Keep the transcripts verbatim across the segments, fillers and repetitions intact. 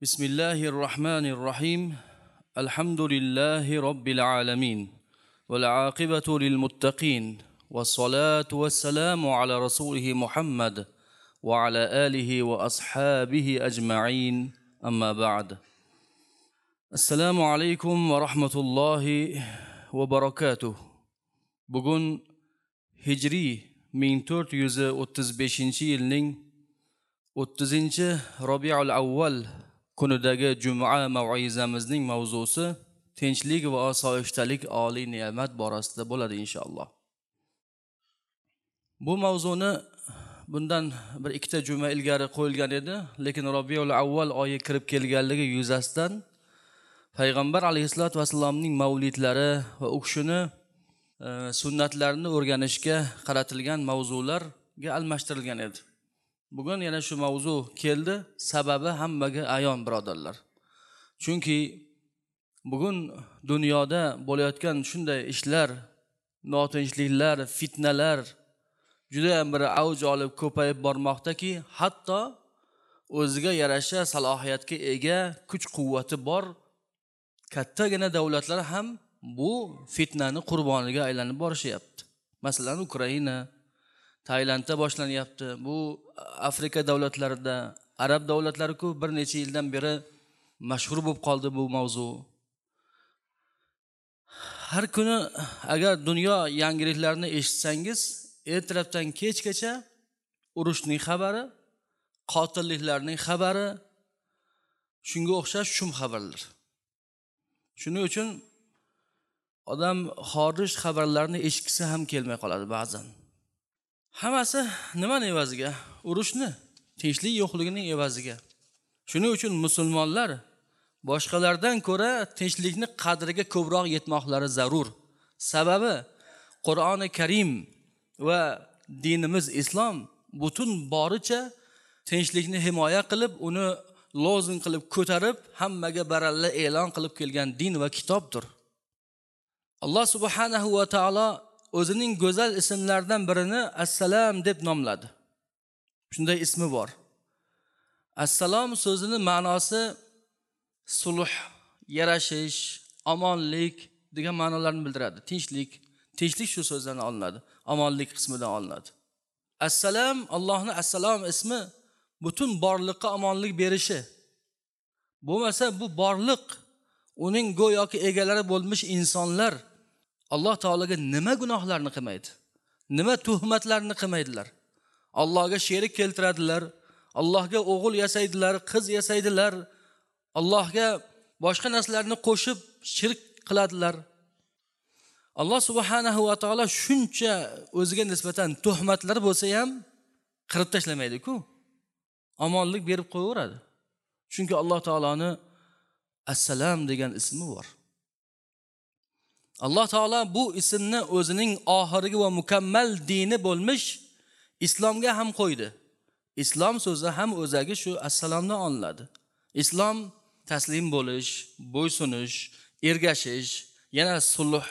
Bismillahir Rahmanir Rahim. Alhamdulillahi Robbil alamin. Val aqibatu lil muttaqin. Was-salatu was-salamu ala rasulihi Muhammad va ala alihi va ashabihi ajma'in. Amma ba'd. Assalomu alaykum va rahmatullohi va barakatuh. Bugun Hijriy ming to'rt yuz o'ttiz beshinchi yilning o'ttizinchi Robiul Avval kunidagi juma mav'izamizning mavzusi tinchlik va osoyishtalik oliy ne'mat borasida bo'ladi inshaalloh. Bu mavzuni bundan bir ikkita juma ilgari qo'yilgan edi, lekin Robiul Avval oyi kirib kelganligi yuzasidan Payg'ambar alayhissalatu vassalomning mavlidlari va u kishini e, sunnatlarini o'rganishga qaratilgan mavzularga almashtirilgan edi. Bugun yana shu mavzu keldi, sababi hammaga ayon birodarlar. Chunki bugun dunyoda bo'layotgan shunday ishlar, notinchliklar, fitnalar juda ham bir avj olib ko'payib bormoqdaki, hatto o'ziga yarasha salohiyatga ega, kuch-quvvati bor kattagina davlatlar ham bu fitnani qurboniga aylanib borishyapti. Masalan, Ukraina, Tailandda boshlanyapti. Bu Afrika davlatlarida, arab davlatlari-ku bir necha yildan beri mashhur bo'lib qoldi bu mavzu. Har kuni agar dunyo yangiliklarini eshitsangiz, ertalabdan kechgacha urushning xabari, qotilliklarning xabari, shunga o'xshash shum xabarlar. Shuning uchun odam xorij xabarlarini eshitgisi ham kelmay qoladi ba'zan. Hammasi nimani evaziga? Urushni, tinchlik yo'qligining evaziga. Shuning uchun musulmonlar boshqalardan ko'ra tinchlikni qadriga ko'proq yetmoqlari zarur. Sababi Qur'oni Karim va dinimiz islom butun boricha tinchlikni himoya qilib, uni lozim qilib ko'tarib, hammaga baralla e'lon qilib kelgan din va kitobdir. Alloh subhanahu va taolo o'zining go'zal ismlaridan birini Assalom deb nomladi. Shunday ismi bor. Assalom so'zining ma'nosi sulh, yarashish, omonlik degan ma'nolarni bildiradi. Tinchlik, tinchlik shu so'zdan olinadi, omonlik qismidan olinadi. Assalom, Allohning Assalom ismi butun borliqqa omonlik berishi. Bo'lmasa bu borliq uning go'yoki egalari bo'lmish insonlar Alloh taologa nima gunohlarni qilmaydi, nima tuhmatlarni qilmaydilar. Allohga sherik keltiradilar, Allohga o'g'il yasaydilar, qiz yasaydilar, Allohga boshqa narsalarni qo'shib shirk qiladilar. Alloh subhanahu va taolo shuncha o'ziga nisbatan tuhmatlar bo'lsa ham qirib tashlamaydi-ku. Omonlik berib qo'yaveradi. Chunki Alloh taoloni Assalom degan ismi bor. Alloh taolo bu ismni o'zining oxirgi va mukammal dini bo'lmish islomga ham qo'ydi. Islom so'zi ham o'zagi shu assalomdan olinadi. Islom taslim bo'lish, bo'ysunish, ergashish, yana sulh,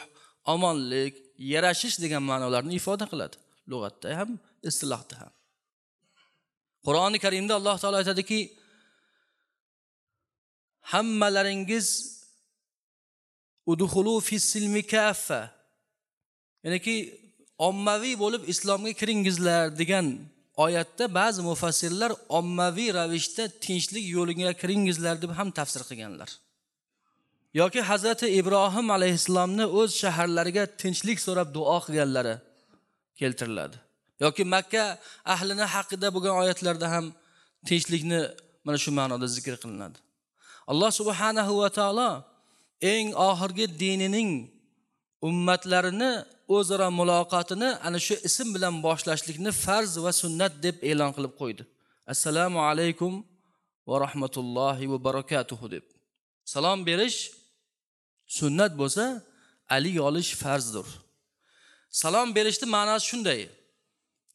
omonlik, yarashish degan ma'nolarni ifoda qiladi. Lug'atda ham, istilohda ham. Qur'oni Karimda Alloh taolo aytadiki, hammalaringiz udxulu fis-silmi kaffa, ya'niki ommaviy bo'lib islomga kiringizlar degan oyatda ba'zi mufassirlar ommaviy ravishda tinchlik yo'liga kiringizlar deb ham tafsir qilganlar. Yoki Hazrati Ibrohim alayhissalomni o'z shaharlariga tinchlik so'rab duo qilganlari keltiriladi. Yoki Makka ahlini haqida bo'lgan oyatlarda ham tinchlikni mana shu ma'noda zikr qilinadi. Alloh subhanahu va taolo eng oxirgi dinining ummatlarini o'zaro muloqotini ana shu ism bilan boshlashlikni farz va sunnat deb e'lon qilib qo'ydi. Assalomu alaykum va rahmatullohi va barakatuhu deb. Salom berish sunnat bo'lsa, alik olish farzdir. Salom berishning ma'nosi shunday: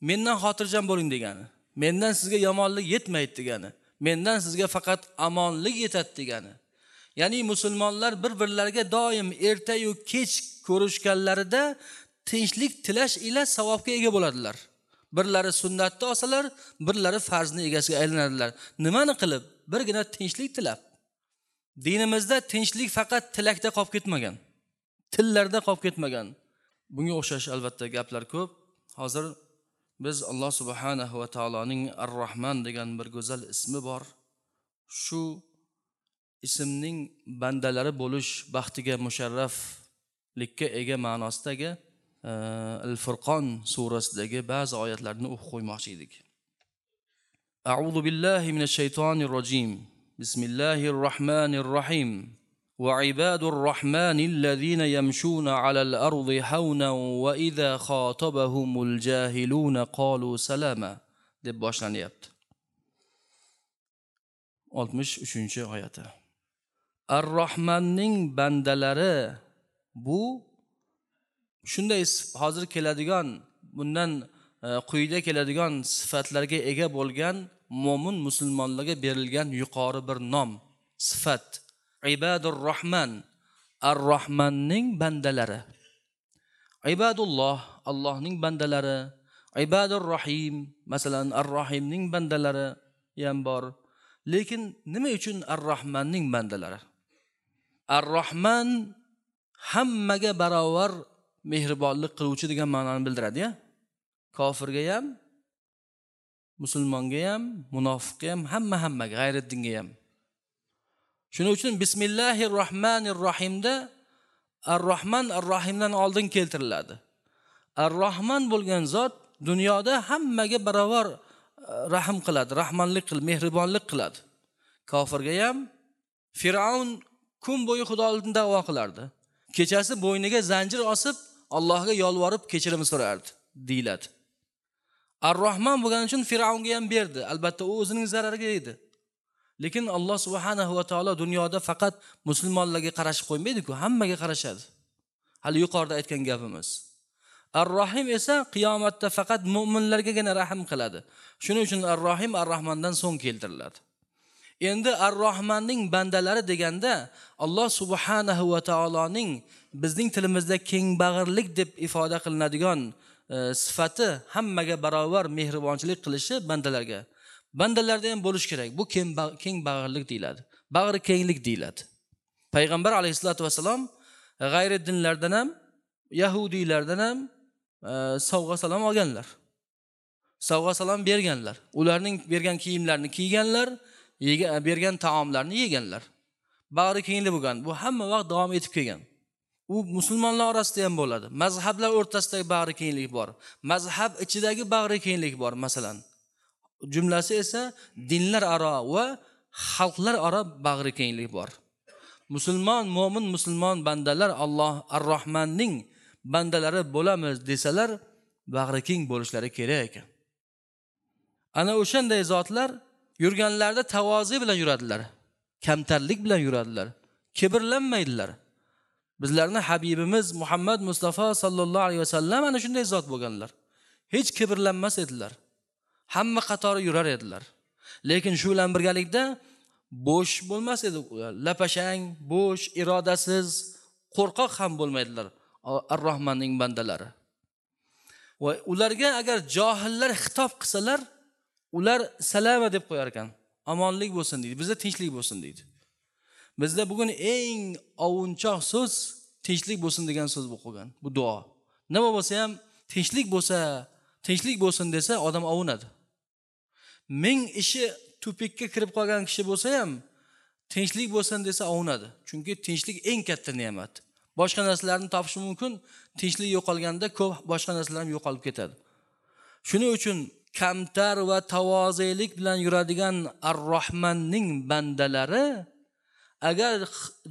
mendan xotirjam bo'ling degani, mendan sizga yomonlik yetmaydi degani, mendan sizga faqat omonlik yetadi degani. Ya'ni musulmonlar bir-birlariga doim erta-yu kech ko'rishganlarida tinchlik tilash ila savobga ega bo'ladilar. Birlari sunnatni olsalar, birlari farzni egasiga aylanadilar. Nimani qilib? Birgina tinchlik tilab. Dinimizda tinchlik faqat tilakda qolib ketmagan, tillarda qolib ketmagan. Bunga o'xshash albatta gaplar ko'p. Hozir biz Alloh subhanahu va taoloning Ar-Rahman degan bir go'zal ismi bor. Shu ismning bandalari bo'lish baxtiga musharraflikka ega ma'nosidagi Al-Furqon surasidagi ba'zi oyatlarni o'qib qo'ymoqchi edik. A'udhu billahi minash shaytonir rojim. Bismillahir rohmanir rohim. Va ibadur rohmanillazina yamshuna alal ardi hawnan va iza xotabahumul jahiluna qalu salama deb boshlanyapti. oltmish uchinchi oyati. Ar-Rohmanning bandalari bu shunday hozir keladigan, bundan quyida keladigan sifatlarga ega bo'lgan mo'min musulmonlarga berilgan yuqori bir nom, sifat. Ibadur Rahman, Ar-Rahmanning bandalari. Ibadulloh, Allohning bandalari. Ibadur Rahim, masalan, Ar-Rahimning bandalari ham bor. Lekin nima uchun Ar-Rahmanning bandalari? Ar-Rahman hammaga barobar mehribonlik qiluvchi degan ma'noni bildiradi-ya. Kofirga ham, musulmonga ham, munofiqqa ham, hamma hammaga, g'ayriddinga ham. Shuning uchun Bismillahir Rohmanir Rohimda Ar-Rahman Ar-Rahimdan oldin keltiriladi. Ar-Rahman bo'lgan zot dunyoda hammaga barobar rahm qiladi, rahmonlik qiladi, mehribonlik qiladi. Kofirga ham. Fir'avn kun bo'yi Xudo oldida da'vo qilardi. Kechasi bo'yniga zanjir osib, Allohga yolvorib kechirim so'rardi, deyiladi. Ar-Rahman bo'lgani uchun Fir'avnga ham berdi. Albatta u o'zining zarariga edi. Lekin Alloh subhanahu va taolo dunyoda faqat musulmonlarga qarashib qo'ymaydi-ku, hammaga qarashadi. Hali yuqorida aytgan gapimiz. Ar-Rahim esa qiyomatda faqat mu'minlargagina rahm qiladi. Shuning uchun Ar-Rahim Ar-Rahmandan so'ng keltiriladi. Endi Ar-Rahmanning bandalari deganda Alloh subhanahu va taoloning bizning tilimizda keng bag'irlik deb ifoda qilinadigan e, sifati hammaga barobar mehribonchilik qilishi bandalarga. Bandalarda ham bo'lish kerak. Bu keng bag'irlik deyiladi. Bag'ri kenglik deyiladi. Payg'ambar alayhisolatu vasallam g'ayri dinlardan ham, yahudiylardan ham e, sovg'a salom olganlar. Sovg'a salom berganlar. Ularning bergan kiyimlarini kiyganlar, bergan taomlarni yeganlar. Bag'ri kenglik bo'lgan. Bu hamma vaqt davom etib kelgan. U musulmonlar orasida ham bo'ladi. Mazhablar o'rtasidagi bag'ri kenglik bor. Mazhab ichidagi bag'ri kenglik bor, masalan. Jumlasi esa dinlar aro va xalqlar aro bag'ri kenglik bor. Musulmon, mo'min musulmon bandalar Alloh Ar-Rahmanning bandalari bo'lamiz desalar, bag'ri keng bo'lishlari kerak ekan. Ana o'shanday zotlar yurganlarida tavozi bilan yuradilar, kamtarlik bilan yuradilar, kibrlanmaydilar. Bizlarning habibimiz Muhammad Mustafa sallallohu alayhi vasallam ana shunday zot bo'lganlar. Hech kibrlanmas edilar. Hamma qatori yurar edilar. Lekin shu bilan birgalikda bo'sh bo'lmas edi. Lapashang, bo'sh, irodasiz, qo'rqoq ham bo'lmaydilar Ar-Rahmanning bandalari. Va ularga agar johillar xitob qilsalar, ular salama deb qo'yar ekan. Omonlik bo'lsin deydi, bizda tinchlik bo'lsin deydi. Bizda bugun eng ovunchoq so'z tinchlik bo'lsin degan so'z bo'lib qolgan. Bu duo. Nima bo'lsa ham tinchlik bo'lsa, tinchlik bo'lsin desa odam ovunadi. Ming ishi tupikka kirib qolgan kishi bo'lsa ham tinchlik bo'lsin desa ovunadi. Chunki tinchlik eng katta ne'mat. Boshqa narsalarni topish mumkin, tinchlik yo'qolganda ko'p boshqa narsalar ham yo'qolib ketadi. Shuning uchun kamtar va tavozelik bilan yuradigan Ar-Rahmanning bandalari agar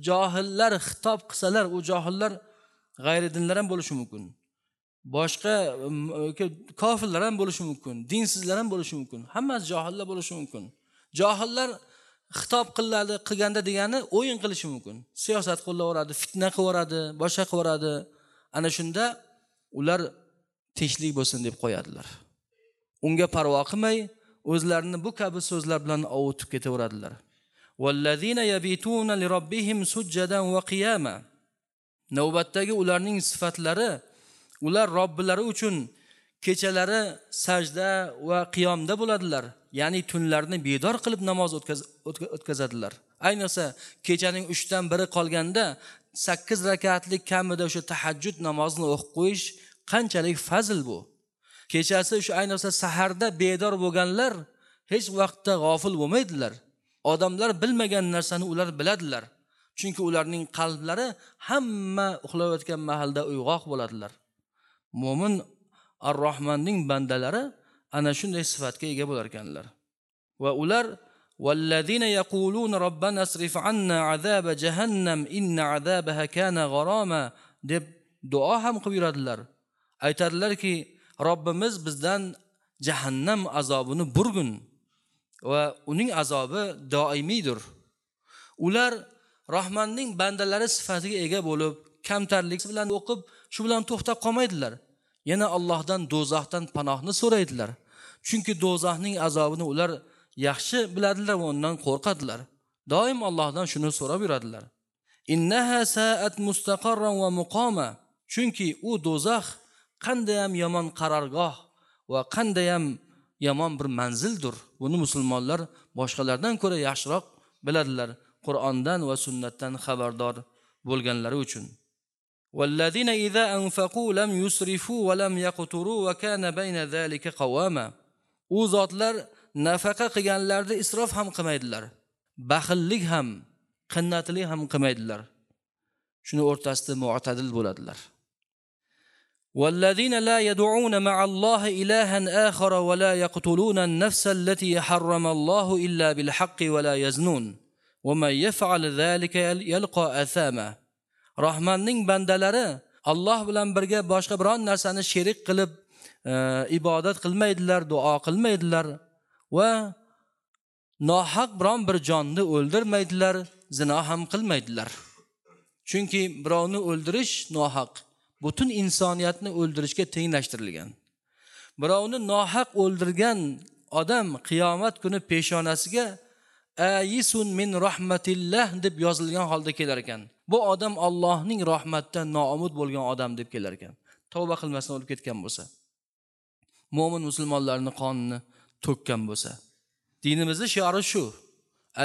johillar xitob qilsalar, u johillar g'ayri dinlar ham bo'lishi mumkin. Boshqa kofirlar ham bo'lishi mumkin, dinsizlar ham bo'lishi mumkin. Hammasi johillar bo'lishi mumkin. Johillar xitob qiladi, qilganda degani o'yin qilishi mumkin. Siyosat qo'llaveradi, fitna qilaveradi, boshqa qilaveradi. Ana shunda ular tinchlik bo'lsin deb qo'yadilar. Unga parvo qilmay, o'zlarini bu kabi so'zlar bilan ovutib ketaveradilar. Vallazina yabituna lirobbihim sujjadan va qiyama. Navbatdagi ularning sifatlari, ular Robbilari uchun Kechalari sajda va qiyomda bo'ladilar, ya'ni tunlarni bedor qilib namoz o'tkazadilar. Ayniqsa kechaning uchdan biri qolganda sakkiz rakatlik kamida o'sha tahajjud namozini o'qib qo'yish qanchalik fazl bu. Kechasi o'sha ayniqsa saharda bedor bo'lganlar hech vaqtda g'ofil bo'lmaydilar. Odamlar bilmagan narsani ular biladilar. Chunki ularning qalblari hamma uxlayotgan mahalda uyg'oq bo'ladilar. Mo'min Ar-Rahmonning bandalari ana shunday sifatga ega bo'lar ekanlar. Va ular vallazina yaquluna robbana asrif anna azaba jahannam inna azabaha kana g'arama deb duo ham qilib yuradilar. Aytadilarki, Robbimiz bizdan jahannam azobini burgun va uning azobi doimiydir. Ular Rahmonning bandalari sifatiga ega bo'lib, kamtarlik bilan o'qib, shu bilan to'xtab qolmaydilar. Yana Allohdan do'zaxdan panohni so'raydilar. Chunki do'zaxning azobini ular yaxshi biladilar va undan qo'rqadilar. Doim Allohdan shuni so'rab yuradilar. Innaha sa'at mustaqarran va muqama. Chunki u do'zax qanday ham yomon qarorgoh va qanday ham yomon bir manzildir. Buni musulmonlar boshqalardan ko'ra yaxshiroq biladilar, Qur'ondan va sunnatdan xabardor bo'lganlari uchun. Vallazina iza anfaqu lam yusrifu va lam yaqturu va kana bayna zalika qawama. U zotlar nafaqa qilganlarida isrof ham qilmaydilar, baxillik ham, qinnatlik ham qilmaydilar. Shuni o'rtasida mu'tadil bo'ladilar. والذين لا يدعون مع الله إلها آخر ولا يقتلون النفس التي حرم الله إلا بالحق ولا يزنون ومن يفعل ذلك يلقى أثاما. Rahmonning bandalari Alloh bilan birga boshqa biron narsani sherik qilib e, ibodat qilmaydilar, duo qilmaydilar va nohaq biron bir jonni o'ldirmaydilar, zino ham qilmaydilar. Chunki birovni o'ldirish nohaq, butun insoniyatni o'ldirishga tenglashtirilgan. Birovni nohaq o'ldirgan odam qiyomat kuni peshonasiga ayisun min rahmatillah deb yozilgan holda kelar ekan. Bu odam Allohning rahmatidan noumid bo'lgan odam deb kelar ekan. Tavba qilmasdan o'lib ketgan bo'lsa, mo'min musulmonlarning qonini to'kkan bo'lsa. Dinimizning shiori shu.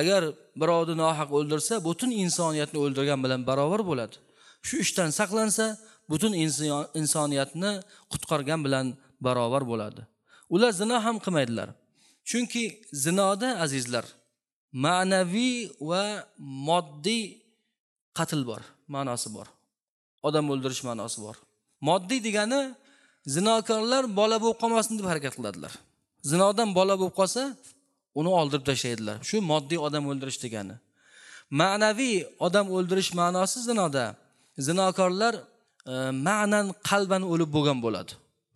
Agar birovni nohaq o'ldirsa, butun insoniyatni o'ldirgan bilan barobar bo'ladi. Shu ishdan saqlansa, butun insoniyatni qutqargan bilan barobar bo'ladi. Ular zino ham qilmaydilar. Chunki zinoda azizlar ma'naviy va moddiy qatl bor, ma'nosi bor. Odam o'ldirish ma'nosi bor. Moddiy degani zinokorlar bola bo'lib qolmasin deb harakat qiladilar. Zinodan bola bo'lib qolsa, uni oldirib tashlaydilar. Shu moddiy odam o'ldirish degani. Ma'naviy odam o'ldirish ma'nosi zinoda zinokorlar e, ma'nan qalban o'lib bo'lgan bo'ladi.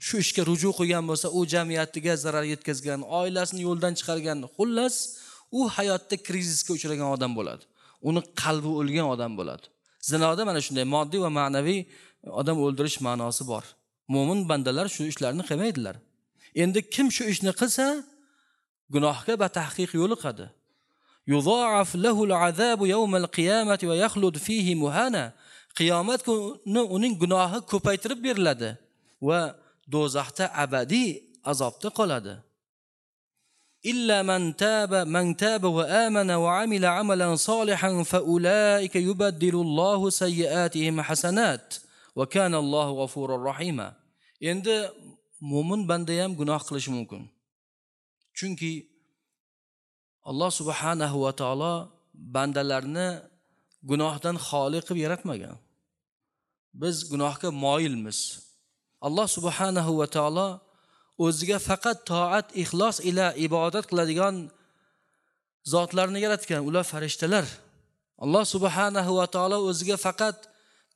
Shu ishga ruju qilgan bo'lsa, u jamiyatiga zarar yetkazgan, oilasini yo'ldan chiqargan, xullas u hayotda krizisga uchragan odam bo'ladi. Uni qalbi o'lgan odam bo'ladi. Zinoda mana shunday moddiy va ma'naviy odam o'ldirish ma'nosi bor. Mo'min bandalar shu ishlarni qilmaydilar. Endi kim shu ishni qilsa, gunohga batahqiq yo'liqadi. Yudha'af lahu al-'azabu yawm al-qiyamati va yakhlud fihi muhana. Qiyomat kuni uning gunohi ko'paytirib beriladi va do'zaxda abadiy azobda qoladi. Illa man taba man taba va amana va amila amalan salihan fa ulaika yubaddilu Allohu sayyiatihim hasanat va kana Allohu g'afurur rahima. Endi mo'min banda ham gunoh qilishi mumkin. Chunki Alloh subhanahu va taolo bandalarni gunohdan xoli qilib yaratmagan. Biz gunohga moyilmiz. Alloh subhanahu va taolo o'ziga faqat toat, ixlos ila ibodat qiladigan zotlarni yaratgan, ular farishtalar. Alloh subhanahu va taolo o'ziga faqat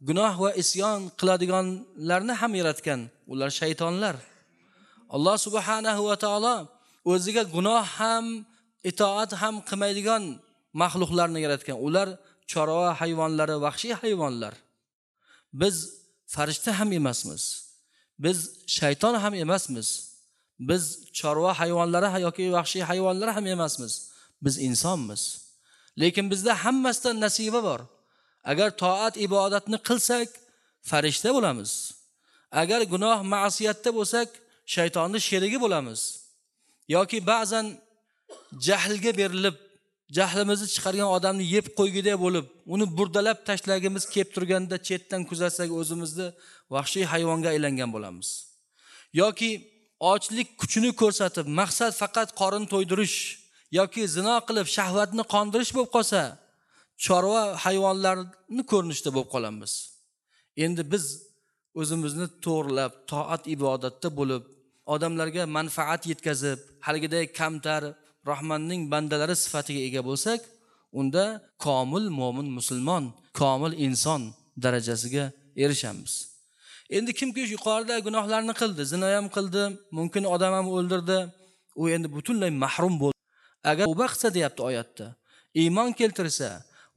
gunoh va isyon qiladiganlarni ham yaratgan, ular shaytonlar. Alloh subhanahu va taolo o'ziga gunoh ham, itoat ham qilmaydigan maxluqlarni yaratgan. Ular chorva hayvonlari, vahshiy hayvonlar. Biz farishta ham emasmiz. Biz shayton ham emasmiz. Biz chorva hayvonlari yoki vahshiy hayvonlar ham emasmiz. Biz insonmiz. Lekin bizda hammasidan nasiba bor. Agar toat ibodatni qilsak, farishta bo'lamiz. Agar gunoh ma'siyatda bo'lsak, shaytonni sherigi bo'lamiz. Yoki ba'zan jahlga berilib, jahlimizni chiqargan odamni yeb qo'ygudek bo'lib, uni burdalab tashlagimiz kelib turganda chetdan kuzatsak o'zimizni vahshiy hayvonga aylangan bo'lamiz. Yoki ochlik kuchini ko'rsatib, maqsad faqat qorin to'ydirish yoki zino qilib shahvatni qondirish bo'lib qolsa, chorva hayvonlarni ko'rinishda bo'lib qolamiz. Endi biz o'zimizni to'g'rilab, toat ibodatda bo'lib, odamlarga manfaat yetkazib, haligiday kamtar Rahmonning bandalari sifatiga ega bo'lsak, unda komil mo'min musulmon, komil inson darajasiga erishamiz. Endi kimki yuqorida gunohlarni qildi, zino ham qildi, mumkin odam ham o'ldirdi, u endi butunlay mahrum bo'ldi. Agar tavba qilsa deyapti oyatda, iymon keltirsa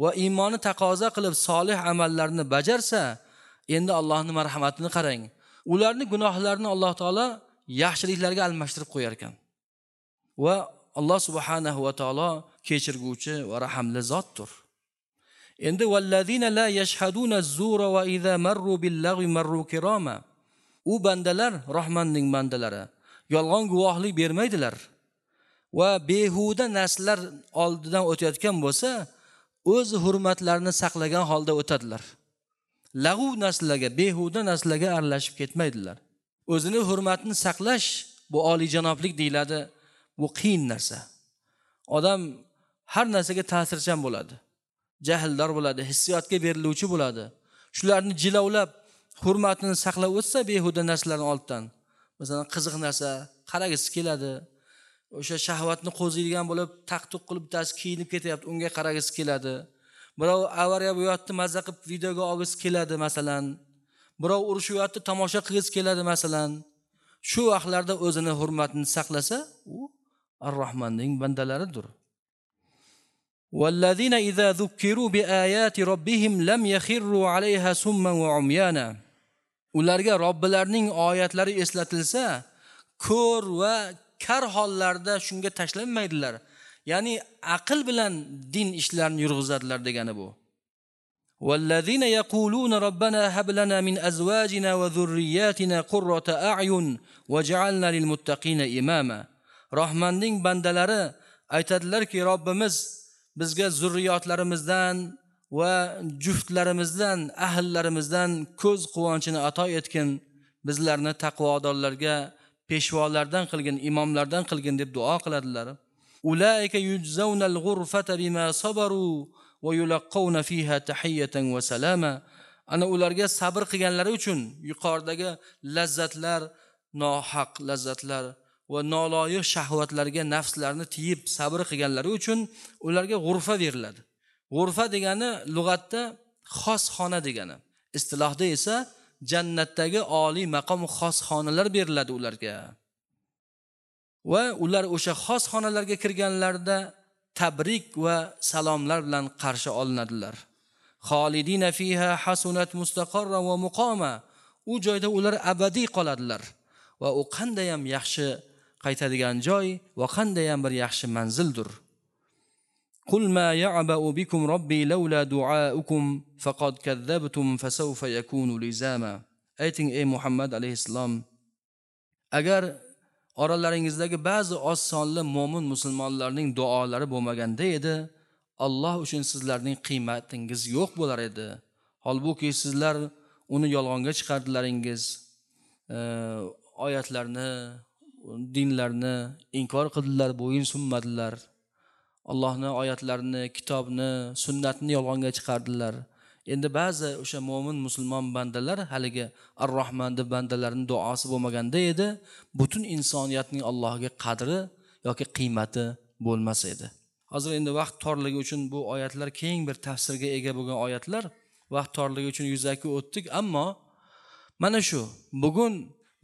va iymoni taqozo qilib solih amallarni bajarsa, endi Allohning marhamatini qarang. Ularning gunohlarini Alloh taolo yaxshiliklarga almashtirib qo'yar ekan. Va Alloh subhanahu va taolo kechirguvchi va rahimli zotdir. Endi vallazina la yashhaduna az-zura va iza marru bil-lagwi marru kirama. U bandalar Rahmonning bandalari yolg'on guvohlik bermaydilar va behuda narsalar oldidan o'tayotgan bo'lsa, o'z hurmatlarini saqlagan holda o'tadilar. Lag'u narsalarga, behuda narsalarga aralashib ketmaydilar. O'zini hurmatini saqlash bu oliyjanoblik deyiladi. Bu qiyin narsa. Odam har narsaga ta'sirchan bo'ladi. Jahldor bo'ladi, hissiyotga beriluvchi bo'ladi. Shularni jilovlab, hurmatini saqlab o'tsa behuda narsalarning oldidan, masalan, qiziq narsa qaragisi keladi. O'sha shahvatni qo'ziydigan bo'lib, taqtuq qilib bittasi kiyinib ketyapti, unga qaragisi keladi. Birov avariya bo'yapti, mazza qilib videoga olgisi keladi masalan. Birov urushyapti, tomosha qilgisi keladi masalan. Shu vaqtlarda o'zini hurmatini saqlasa, u Ar-Rahmonning bandalaridir. Vallazina iza zukkiru biayati robbihim lam yakhirru alayha summan va umyana. Ularga Robbilarining oyatlari eslatilsa, ko'r va kar hollarda shunga tashlanmaydilar. Ya'ni aql bilan din ishlarini yurg'izadilar degani bu. Vallazina yaquluna robbana hab lana min azwajina va zurriyatina qurrata a'yun waj'alna lil muttaqina imama. Rahmonning bandalari aytadilarki, Robbimiz bizga zurriyotlarimizdan va juftlarimizdan, ahllarimizdan ko'z quvonchini ato etgin, bizlarni taqvodorlarga peshvolardan qilgin, imomlardan qilgin deb duo qiladilar. Ulaika yujzawnal ghurfata bima sabaru va yulaqqawna fiha tahiyatan va salama. Ana ularga sabr qilganlari uchun yuqoridagi lazzatlar, nohaq lazzatlar va noloyiq shahvatlarga nafslarini tiyib sabr qilganlari uchun ularga g'urfa beriladi. G'urfa degani lug'atda xos xona degani. Istilohda esa jannatdagi oliy maqom xos xonalar beriladi ularga. Va ular o'sha xos xonalarga kirganlarida tabrik va salomlar bilan qarshi olinadilar. Xolidina fiha hasunat mustaqarra va muqoma. U joyda ular abadiy qoladilar va u qanday ham yaxshi qaytadigan joy va qanday ham bir yaxshi manzildir. Qul ma ya'ba'u bikum robbi laula du'aukum faqad kazzabtum fasawfa yakunu lizama. Ayting ey Muhammad alayhissalom, agar oralaringizdagi ba'zi oz sonli mo'min musulmonlarning duolari bo'lmaganda edi, Alloh uchun sizlarning qiymatingiz yo'q bo'lar edi. Holbuki sizlar uni yolg'onga chiqardilaringiz, oyatlarni, dinlarni inkor qildilar, bo'yin sunmadilar. Allohning oyatlarini, kitobni, sunnatni yolg'onga chiqardilar. Endi ba'zi o'sha mo'min musulmon bandalar haligi Ar-Rahmonning bandalarining duosi bo'lmaganda edi, butun insoniyatning Allohga qadri yoki qiymati bo'lmas edi. Hozir endi vaqt torligi uchun bu oyatlar keng bir tafsirga ega bo'lgan oyatlar, vaqt torligi uchun yuzaki o'tdik, ammo mana shu bugun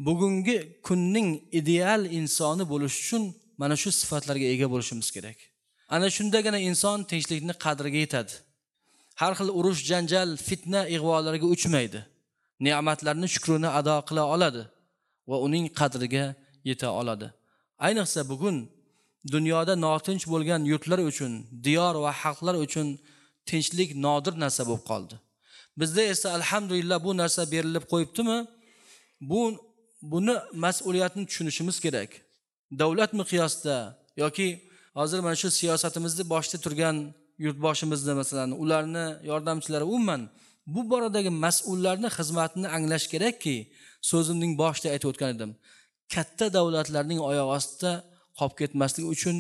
bugungi kunning ideal insoni bo'lish uchun mana shu sifatlarga ega bo'lishimiz kerak. Ana shundagina inson tinchlikni qadriga yetadi. Har xil urush, janjal, fitna, ig'volarga uchmaydi. Ne'matlarni shukrini ado qila oladi va uning qadriga yeta oladi. Ayniqsa bugun dunyoda notinch bo'lgan yurtlar uchun, diyor va xalqlar uchun tinchlik nodir narsa bo'lib qoldi. Bizda esa alhamdulillah bu narsa berilib qo'yibdimi? Bu buni mas'uliyatini tushunishimiz kerak. Davlat miqyosida yoki hozir mana shu siyosatimizni boshida turgan yurtboshimizni masalan, ularni yordamchilari umuman bu boradagi mas'ullarning xizmatini anglash kerakki, so'zimning boshida aytib o'tgan edim. Katta davlatlarning oyoq ostida qolib ketmasligi uchun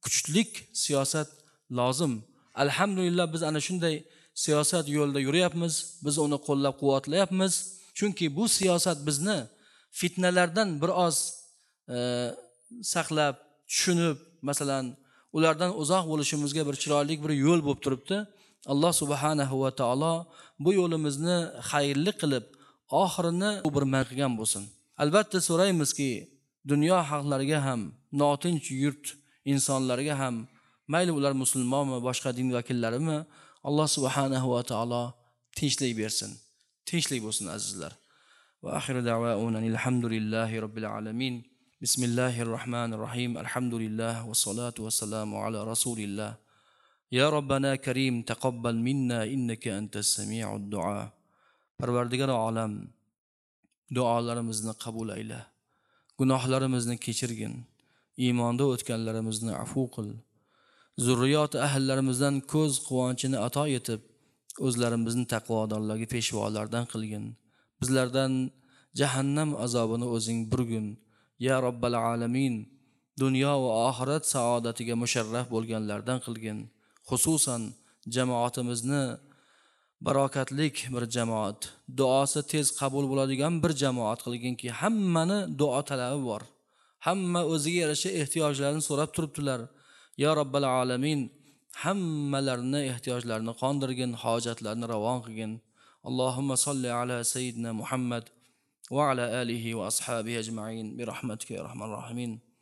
kuchlik siyosat lozim. Alhamdulillah biz ana shunday siyosat yo'lida yuryapmiz, biz uni qo'llab-quvvatlayapmiz. Chunki bu siyosat bizni fitnalardan bir oz e, saqlab, tushunib, masalan, ulardan uzoq bo'lishimizga bir chiroyli bir yo'l bo'lib turibdi. Alloh subhanahu va taolo bu yo'limizni xayrli qilib, oxirini bir man qilgan bo'lsin. Albatta so'raymizki, dunyo xalqlariga ham, notinch yurt insonlariga ham, mayli ular musulmonmi, boshqa din vakillarimi, Alloh subhanahu va taolo tinchlik bersin. Tinchlik bo'lsin azizlar. Va axiru da'vauna alhamdulillahi robbil alamin. Bismillahir rohmanir rohim. Alhamdulillah va salatu va salamu ala rasulillah. Ya Robbana Karim taqabbal minna innaka antas sami'ud du'a. Parvardigor olam, duolarimizni qabul ayla. Gunohlarimizni kechirgin. Iymonda o'tganlarimizni afu qil. Zurriyot ahllarimizdan ko'z quvonchini ato etib, o'zlarimizni taqvodorlarga peshvolardan qilgin. Bizlardan jahannam azobini o'zing burgin. Ya Robbal alamin, dunyo va oxirat saodatiga musharraf bo'lganlardan qilgin. Xususan jamoatimizni barokatlik bir jamoat, duosi tez qabul bo'ladigan bir jamoat qilginki, hammani duo talabi bor. Hamma o'ziga yarasha ehtiyojlarini so'rab turibdilar. Ya Robbal alamin, hammalarini ehtiyojlarini qondirgin, hojatlarini ravon qilgin. Allohumma solli ala sayyidina Muhammad va ala alihi va ashabihi ajma'in bi rahmatika ya arhamar rohimin.